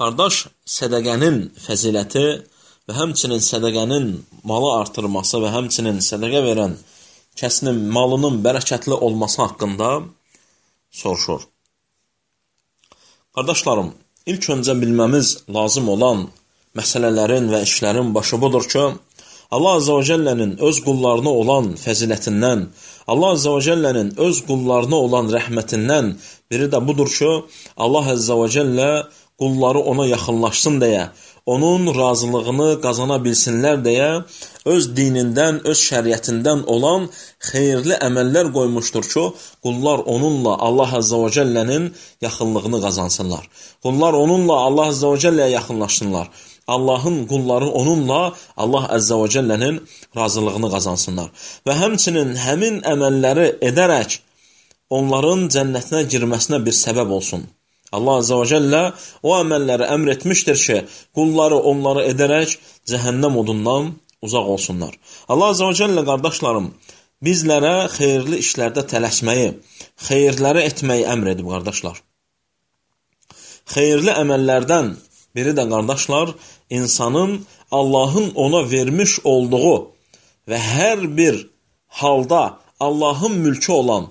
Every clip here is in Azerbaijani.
Qardaş, sədəqənin fəziləti və həmçinin sədəqənin malı artırması və həmçinin sədəqə verən kəsinin malının bərəkətli olması haqqında soruşur. Qardaşlarım, ilk öncə bilməmiz lazım olan məsələlərin və işlərin başı budur ki, Allah Azza və Cəllənin öz qullarına olan fəzilətindən, Allah Azza və Cəllənin öz qullarına olan rəhmətindən biri də budur ki, Allah Azza və Cəllə qulları ona yaxınlaşsın deyə, onun razılığını qazana bilsinlər deyə, öz dinindən, öz şəriətindən olan xeyirli əməllər qoymuşdur ki, qullar onunla Allah Azza və Cəllənin yaxınlığını qazansınlar. Qullar onunla Allah Azza və Cəlləyə yaxınlaşsınlar. Allahın qulları onunla Allah Əzzə və Cəllənin razılığını qazansınlar. Və həmçinin həmin əməlləri edərək onların cənnətinə girməsinə bir səbəb olsun. Allah Əzzə və Cəllə o əməlləri əmr etmişdir ki, qulları onları edərək cəhənnəm odundan uzaq olsunlar. Allah Əzzə və Cəllə, qardaşlarım, bizlərə xeyirli işlərdə tələsməyi, xeyirləri etməyi əmr edib, qardaşlar. Xeyirli əməllərdən biri də, qardaşlar, insanın Allahın ona vermiş olduğu və hər bir halda Allahın mülkü olan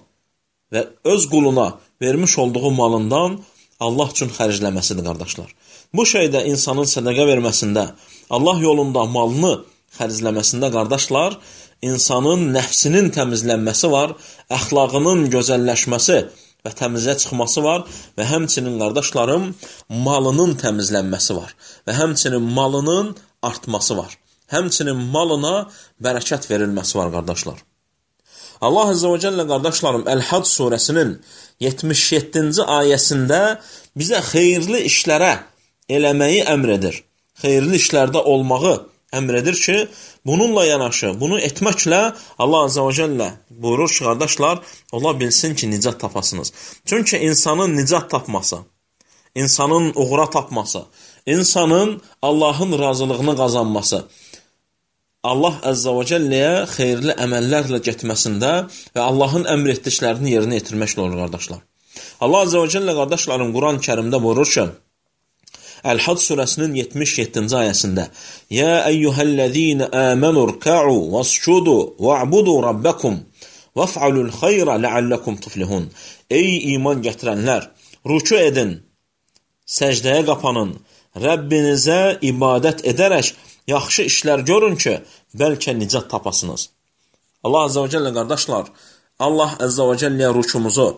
və öz quluna vermiş olduğu malından Allah üçün xərcləməsidir, qardaşlar. Bu şeydə insanın sədəqə verməsində, Allah yolunda malını xərcləməsində, qardaşlar, insanın nəfsinin təmizlənməsi var, əxlaqının gözəlləşməsi və təmizə çıxması var və həmçinin, qardaşlarım, malının təmizlənməsi var və həmçinin malının artması var. Həmçinin malına bərəkət verilməsi var, qardaşlar. Allah Azza və Cəllə, qardaşlarım, Əl-Hac surəsinin 77-ci ayəsində bizə xeyirli işlərə eləməyi əmr edir. Xeyirli işlərdə olmağı əmr edir ki, bununla yanaşı, bunu etməklə Allah Azza və Cəllə buyurur ki, qardaşlar, ola bilsin ki, nicat tapasınız. Çünki insanın nicat tapması, insanın uğura tapması, insanın Allahın razılığını qazanması, Allah Əzzə və Cəlləyə xeyirli əməllərlə getməsində və Allahın əmr etdiklərini yerinə yetirməklə olur, qardaşlar. Allah Əzzə və Cəllə, qardaşlarım, Quran-Kərimdə buyurur ki, Əl-Hac surəsinin 77-ci ayəsində Yə əyyuhəl-ləzīnə əmənur kə'u vəscudu və'budu rabbəkum vəf'alul xeyrə ləalləkum tuflihun. Ey iman gətirənlər, rüku edin, səcdəyə qapanın, Rəbbinizə ibadət edərək yaxşı işlər görün ki, bəlkə nicat tapasınız. Allah Əzzə və Cəllə, qardaşlar, Allah Əzzə və Cəlləyə rükumuzu,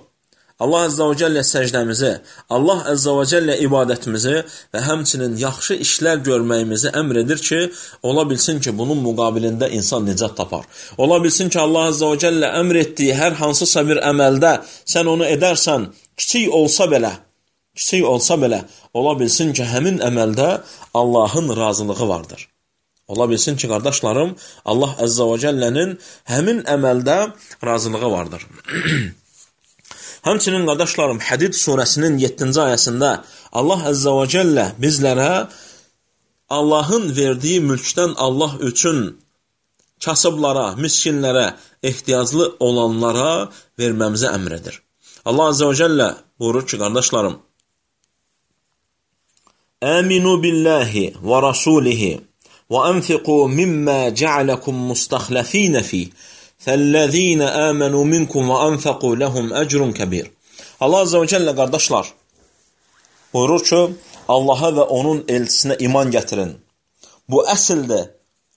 Allah Əzzə və Cəllə səcdəmizi, Allah Əzzə və Cəllə ibadətimizi və həmçinin yaxşı işlər görməyimizi əmr edir ki, ola bilsin ki, bunun müqabilində insan nicat tapar. Ola bilsin ki, Allah Əzzə və Cəllə əmr etdiyi hər hansısa bir əməldə sən onu edərsən, kiçik olsa belə, ola bilsin ki, həmin əməldə Allahın razılığı vardır. Ola bilsin ki, qardaşlarım, Allah Əzzə və Cəllənin həmin əməldə razılığı vardır. Həmçinin, qardaşlarım, Hədid surəsinin 7-ci ayəsində Allah Əzzə və Cəllə bizlərə Allahın verdiyi mülkdən Allah üçün kasıblara, miskinlərə, ehtiyaclı olanlara verməmizə əmr edir. Allah Əzzə və Cəllə buyurur ki, qardaşlarım, Əminu billahi və rasulihi və ənfiqu mimmə cəaləkum mustaxləfinə fih Fəllezîne âmenû minkum və anfaqû lehum ecrun kəbir. Allah Azza və Cəllə, qardaşlar, buyurur ki, Allaha və onun elçisinə iman gətirin. Bu əsildir,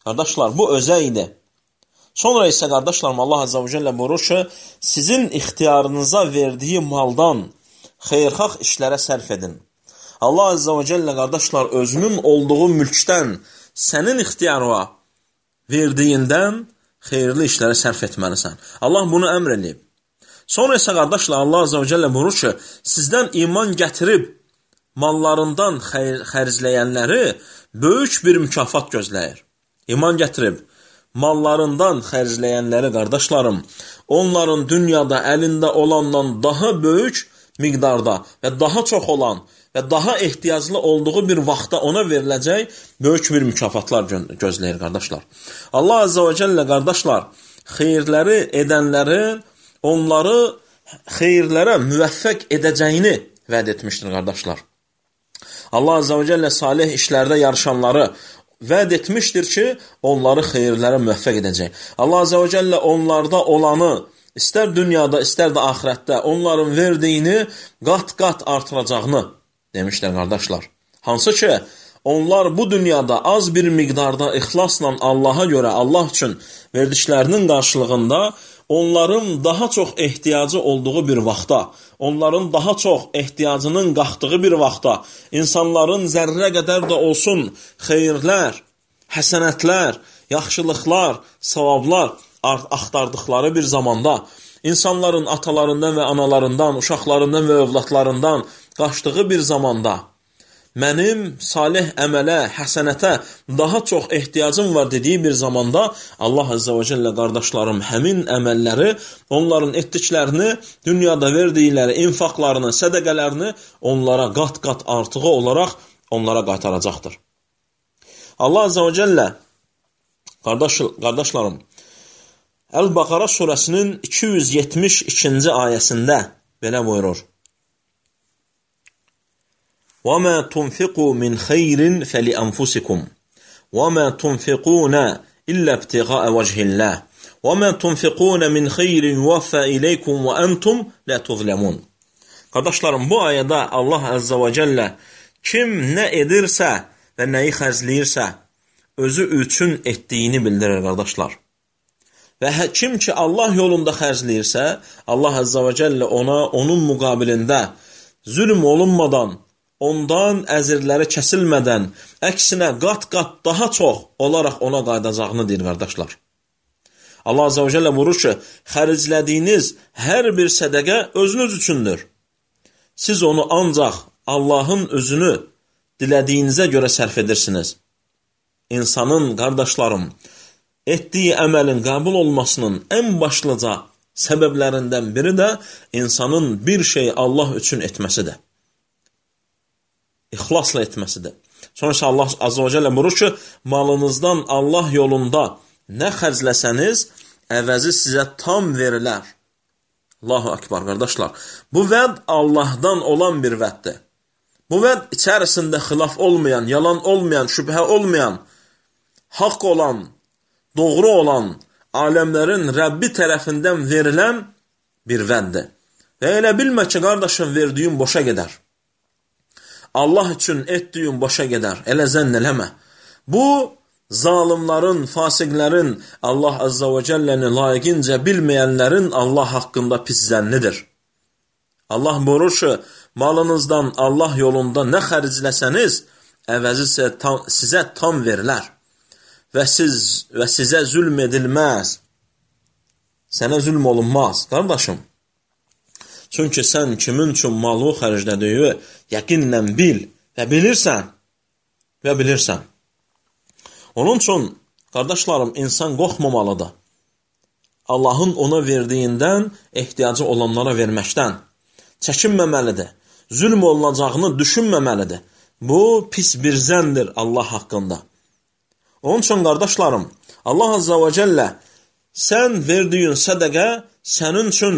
qardaşlar, bu özəydir. Sonra isə, qardaşlarım, Allah Azza və Cəllə buyurur ki, sizin ixtiyarınıza verdiyi maldan xeyirxah işlərə sərf edin. Allah Azza və Cəllə, qardaşlar, özünün olduğu mülkdən sənin ixtiyarına verdiyindən xeyirli işlərə sərf etməlisən. Allah bunu əmr edib. Sonra isə, qardaşlar, Allah Azza və Cəllə buyurur ki, sizdən iman gətirib mallarından xərcləyənləri böyük bir mükafat gözləyir. İman gətirib mallarından xərcləyənləri, qardaşlarım, onların dünyada əlində olandan daha böyük miqdarda və daha çox olan və daha ehtiyaclı olduğu bir vaxtda ona veriləcək böyük bir mükafatlar gözləyir, qardaşlar. Allah Azza və Cəllə, qardaşlar, xeyirləri edənlərin onları xeyirlərə müvəffəq edəcəyini vəd etmişdir, qardaşlar. Allah Azze və Cəllə salih işlərdə yarışanları vəd etmişdir ki, onları xeyirlərə müvəffəq edəcək. Allah Azze və Cəllə onlarda olanı, istər dünyada, istər də axirətdə onların verdiyini qat-qat artıracağını demişlər, qardaşlar. Hansı ki, onlar bu dünyada az bir miqdarda ixlasla Allaha görə, Allah üçün verdiklərinin qarşılığında onların daha çox ehtiyacı olduğu bir vaxtda, onların daha çox ehtiyacının qalxdığı bir vaxtda, insanların zərrə qədər də olsun xeyirlər, həsənətlər, yaxşılıqlar, savablar axtardıqları bir zamanda, insanların atalarından və analarından, uşaqlarından və övladlarından qaçdığı bir zamanda, mənim salih əmələ, həsənətə daha çox ehtiyacım var dediyi bir zamanda Allah Azze və Cəllə, qardaşlarım, həmin əməlləri, onların etdiklərini, dünyada verdikləri infaqlarını, sədəqələrini onlara qat-qat artığı olaraq onlara qaytaracaqdır. Allah Azze və Cəllə, qardaşlarım, Əl-Bəqara surəsinin 272-ci ayəsində belə buyurur. وَمَا تُنْفِقُوا مِنْ خَيْرٍ فَلِأَنْفُسِكُمْ وَمَا تُنْفِقُونَ إِلَّا ابْتِغَاءَ وَجْهِ اللَّهِ وَمَا تُنْفِقُونَ مِنْ خَيْرٍ يُوَفَّى إِلَيْكُمْ وَأَنْتُمْ لَا تُظْلَمُونَ. Qardaşlarım, bu ayədə Allah Azze və Cəllə kim nə edirsə və nəyi xərcləyirsə, özü üçün etdiyini bildirir, qardaşlar. Və kim ki Allah yolunda xərcləyirsə, Allah Azze və Cəllə ona, onun müqabilində zülm olunmadan, ondan əzirləri kəsilmədən, əksinə qat-qat daha çox olaraq ona qayıdacağını deyir, qardaşlar. Allah Azze və Cəllə buyurur ki, xərclədiyiniz hər bir sədəqə özünüz üçündür. Siz onu ancaq Allahın özünü dilədiyinizə görə sərf edirsiniz. İnsanın, qardaşlarım, etdiyi əməlin qəbul olmasının ən başlıca səbəblərindən biri də insanın bir şey Allah üçün etməsidir. İxlasla etməsidir. Sonra isə Allah Azze və Cəllə buyurur ki, malınızdan Allah yolunda nə xərcləsəniz, əvəzi sizə tam verilər. Allahu Akbar, qardaşlar. Bu vəd Allahdan olan bir vəddir. Bu vəd içərisində xilaf olmayan, yalan olmayan, şübhə olmayan, haqq olan, doğru olan, aləmlərin Rəbbi tərəfindən verilən bir vəddir. Və elə bilmə ki, qardaşım, verdiyin boşa gedər. Allah üçün etdiyin boşa gedər. Elə zənn eləmə. Bu, zalimlərin, fasiqlərin, Allah Azza və Cəlləni layiqincə bilməyənlərin Allah haqqında pis zənnidir. Allah buyurur ki, malınızdan Allah yolunda nə xərcləsəniz, əvəzi sizə tam verilər. Və sizə zülm edilməz. Sənə zülm olunmaz, qardaşım. Çünki sən kimin üçün malı xərclədiyi yəqinlə bil və bilirsən. Onun üçün, qardaşlarım, insan qorxmamalıdır. Allahın ona verdiyindən ehtiyacı olanlara verməkdən çəkinməməlidir. Zülm olunacağını düşünməməlidir. Bu, pis bir zəndir Allah haqqında. Onun üçün, qardaşlarım, Allah Azza və Cəllə sən verdiyin sədəqə sənin üçün,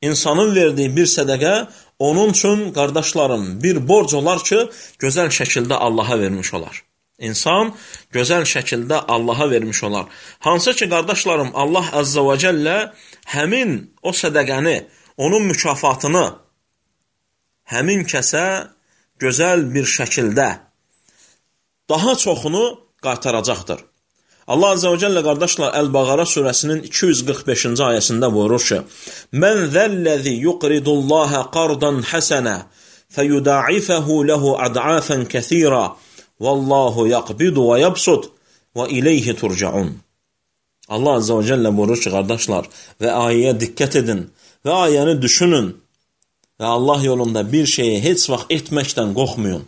insanın verdiyi bir sədəqə onun üçün, qardaşlarım, bir borc olar ki, gözəl şəkildə Allaha vermiş olar. İnsan gözəl şəkildə Allaha vermiş olar. Hansı ki, qardaşlarım, Allah Azza və Cəllə həmin o sədəqəni, onun mükafatını həmin kəsə gözəl bir şəkildə daha çoxunu qaytaracaqdır. Allah Azze və Cəllə, qardaşlar, Əl-Bəqara surəsinin 245-ci ayəsində buyurur ki, Mən zəlləzi yuqridullaha qardan həsənə fəyuda'ifəhu ləhu ad'afən kəthira vallahu yaqbidu və yabsud və iləyhi turcaun. Allah Azze və Cəllə buyurur ki, qardaşlar, və ayəyə diqqət edin və ayəni düşünün və Allah yolunda bir şeyi heç vaxt etməkdən qorxmayın.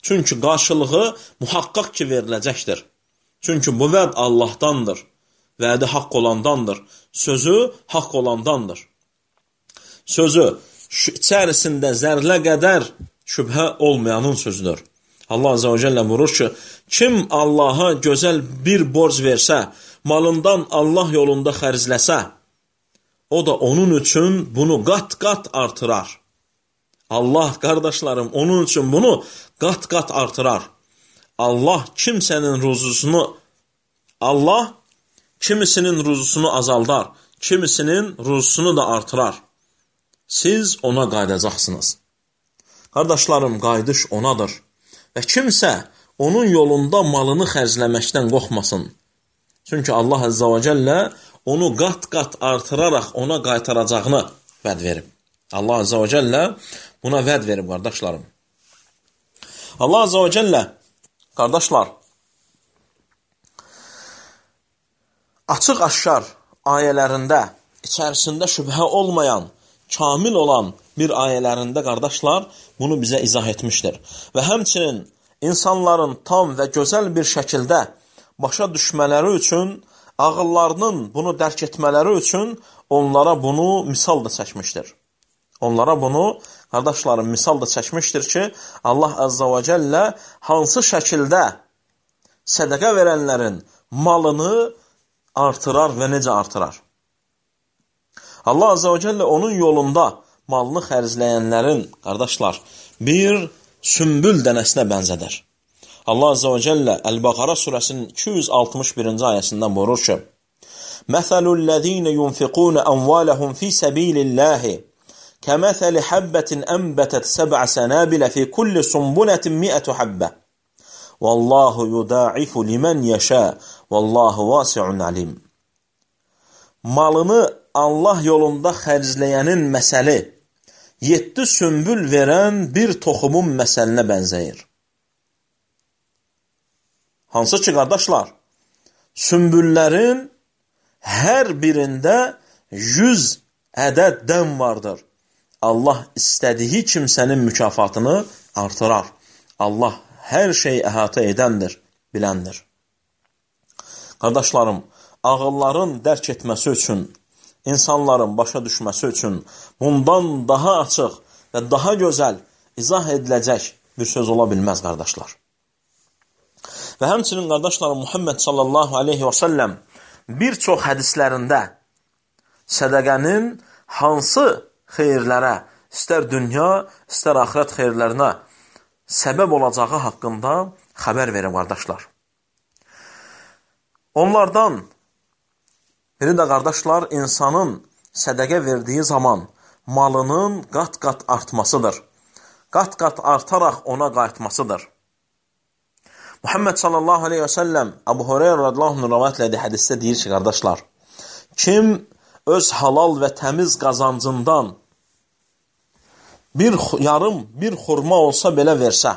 Çünki qarşılığı muhaqqaq ki veriləcəkdir. Çünki bu vəd Allahdandır, vədi haqq olandandır, sözü haqq olandandır. Sözü içərisində zərlə qədər şübhə olmayanın sözüdür. Allah Azze və Cəllə buyurur ki, kim Allaha gözəl bir borc versə, malından Allah yolunda xərcləsə, o da onun üçün bunu qat-qat artırar. Allah, qardaşlarım, onun üçün bunu qat-qat artırar. Allah kimisinin ruzusunu azaldar, kimisinin ruzusunu da artırar. Siz ona qaydacaqsınız. Qardaşlarım, qayıdış onadır. Və kimsə onun yolunda malını xərcləməkdən qorxmasın. Çünki Allah Azza və Cəllə onu qat-qat artıraraq ona qaytaracağını vəd verib. Allah Azza və Cəllə buna vəd verib, qardaşlarım. Allah Azza və Cəllə, qardaşlar, açıq-aşkar ayələrində, içərisində şübhə olmayan, kamil olan bir ayələrində, qardaşlar, bunu bizə izah etmişdir. Və həmçinin insanların tam və gözəl bir şəkildə başa düşmələri üçün, ağıllarının bunu dərk etmələri üçün onlara bunu misal da çəkmişdir. Onlara bunu, qardaşlarım, misal da çəkmişdir ki, Allah Azza və Cəllə hansı şəkildə sədəqə verənlərin malını artırar və necə artırar. Allah Azza və Cəllə onun yolunda malını xərcləyənlərin, qardaşlar, bir sümbül dənəsinə bənzədir. Allah Azza və Cəllə Əl-Bəqara surəsinin 261-ci ayəsindən buyurur ki, Məsəlullezine yunfiqune amvalahum fi sabilillahi kəməsəli həbbətin ənbətət səbə sənəbilə fi kulli sumbulətin mi'ətü həbbə. Vallahu yudaifu limən yəşə, vallahu vasi'un alim. Malını Allah yolunda xərcləyənin məsəli 7 sümbül verən bir toxumun məsəlinə bənzəyir. Hansı ki, qardaşlar, sümbüllərin hər birində 100 ədəd dən vardır. Allah istədiyi kimsənin mükafatını artırar. Allah hər şeyi əhatə edəndir, biləndir. Qardaşlarım, ağılların dərk etməsi üçün, insanların başa düşməsi üçün bundan daha açıq və daha gözəl izah ediləcək bir söz ola bilməz, qardaşlar. Və həmçinin, qardaşlarım, Muhammed sallallahu aleyhi və səlləm bir çox hədislərində sədəqənin hansı xeyirlərə, istər dünya, istər axirət xeyirlərinə səbəb olacağı haqqında xəbər verir, qardaşlar. Onlardan biri də, qardaşlar, insanın sədəqə verdiyi zaman malının qat-qat artmasıdır. Qat-qat artaraq ona qayıtmasıdır. Muhammed sallallahu aleyhi və səlləm Əbu Hüreyrə radiyallahu anh rivayət etdiyi hədisdə deyir ki, qardaşlar, kim öz halal və təmiz qazancından bir xurma olsa belə versə,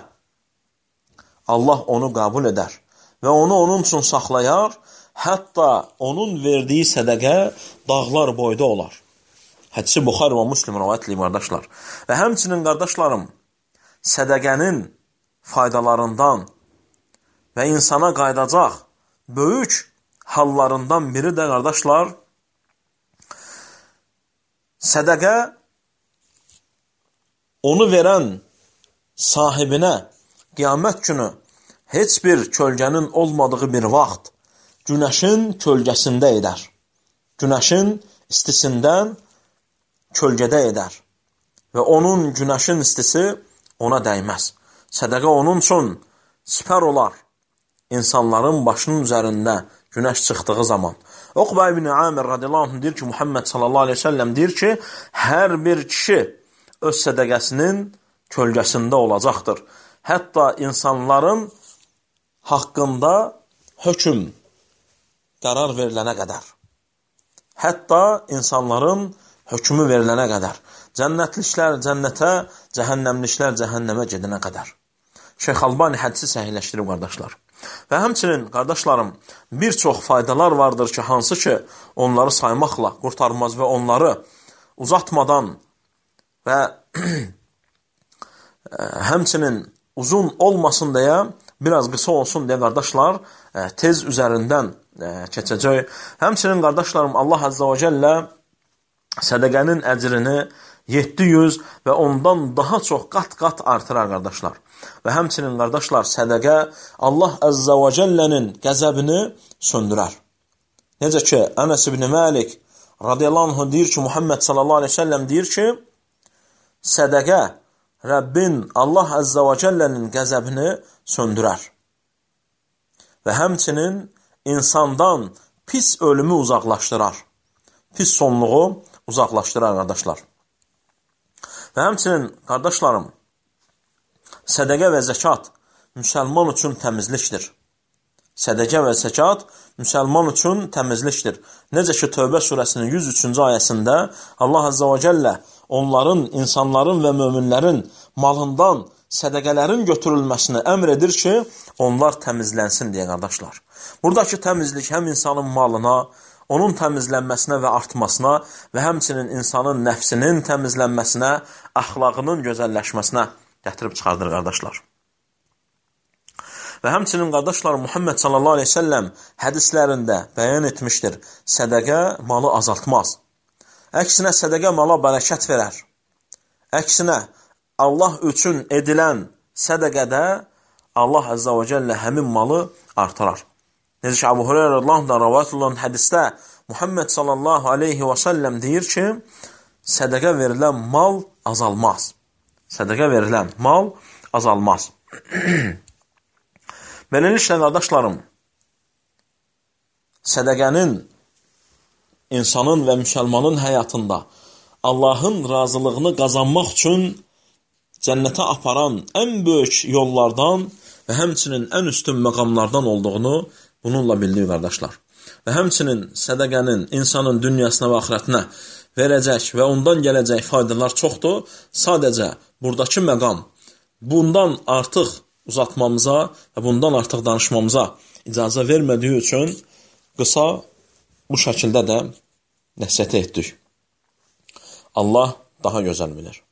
Allah onu qəbul edər və onu onun üçün saxlayar, hətta onun verdiyi sədəqə dağlar boyda olar. Hədisi Buxari və Müslim rivayət edir, qardaşlar. Və həmçinin, qardaşlarım, sədəqənin faydalarından və insana qaydacaq böyük hallarından biri də, qardaşlar, sədəqə onu verən sahibinə qiyamət günü heç bir kölgənin olmadığı bir vaxt günəşin kölgəsində edər. Günəşin istisindən kölgədə edər və onun günəşin istisi ona dəyməz. Sədəqə onun üçün sipər olar insanların başının üzərində günəş çıxdığı zaman. Uqba ibn Amir radiyallahu anh deyir ki, Muhammed sallallahu aleyhi ve sellem deyir ki, hər bir kişi öz sədəqəsinin kölgəsində olacaqdır. Hətta insanların haqqında hökm qərar verilənə qədər. Hətta insanların hökmü verilənə qədər. Cənnətliklər cənnətə, cəhənnəmliklər cəhənnəmə gedənə qədər. Şeyx Albani hədisi səhihləşdirib, qardaşlar. Və həmçinin, qardaşlarım, bir çox faydalar vardır ki, hansı ki, onları saymaqla qurtarmaz və onları uzatmadan və həmçinin uzun olmasın deyə, biraz qısa olsun deyə, qardaşlar, tez üzərindən keçəcək. Həmçinin, qardaşlarım, Allah Azza və Cəllə sədəqənin əcrini 700 və ondan daha çox qat-qat artırar, qardaşlar. Və həmçinin, qardaşlar, sədəqə Allah Azza və Cəllənin qəzəbini söndürər. Necə ki, Ənəs ibn Məlik radiyallahu anh deyir ki, Muhammed sallallahu aleyhi ve sellem deyir ki, sədəqə Rəbbin, Allah Əzzə və Cəllənin qəzəbini söndürər. Və həmçinin insandan pis ölümü uzaqlaşdırar. Pis sonluğu uzaqlaşdırar, qardaşlar. Və həmçinin, qardaşlarım, sədəqə və zəkat müsəlman üçün təmizlikdir. Sədəqə və zəkat müsəlman üçün təmizlikdir. Necə ki, Tövbə surəsinin 103-cü ayəsində Allah Əzzə və Cəllə onların, insanların və möminlərin malından sədəqələrin götürülməsini əmr edir ki, onlar təmizlənsin deyə, qardaşlar. Buradakı təmizlik həm insanın malına, onun təmizlənməsinə və artmasına və həmçinin insanın nəfsinin təmizlənməsinə, əxlaqının gözəlləşməsinə gətirib çıxardır, qardaşlar. Və həmçinin, qardaşlar, Muhammed sallallahu aleyhi ve selləm hədislərində bəyan etmişdir, sədəqə malı azaltmaz. Əksinə, sədəqə mala bərəkət verər. Əksinə, Allah üçün edilən sədəqədə Allah Əzzə və Cəllə həmin malı artırar. Necə ki, Əbu Hüreyrə radiyallahu rəvayət olunan hədisdə Muhammed sallallahu aleyhi və səlləm deyir ki, sədəqə verilən mal azalmaz. Sədəqə verilən mal azalmaz. Beləliklə, qardaşlarım, sədəqənin insanın və müsəlmanın həyatında Allahın razılığını qazanmaq üçün cənnətə aparan ən böyük yollardan və həmçinin ən üstün məqamlardan olduğunu bununla bildik, qardaşlar. Və həmçinin sədəqənin insanın dünyasına və axirətinə verəcək və ondan gələcək faydalar çoxdur. Sadəcə buradakı məqam bundan artıq uzatmamıza və bundan artıq danışmamıza icazə vermədiyi üçün qısa bu şəkildə də nəsihət etdik. Allah daha gözəl bilir.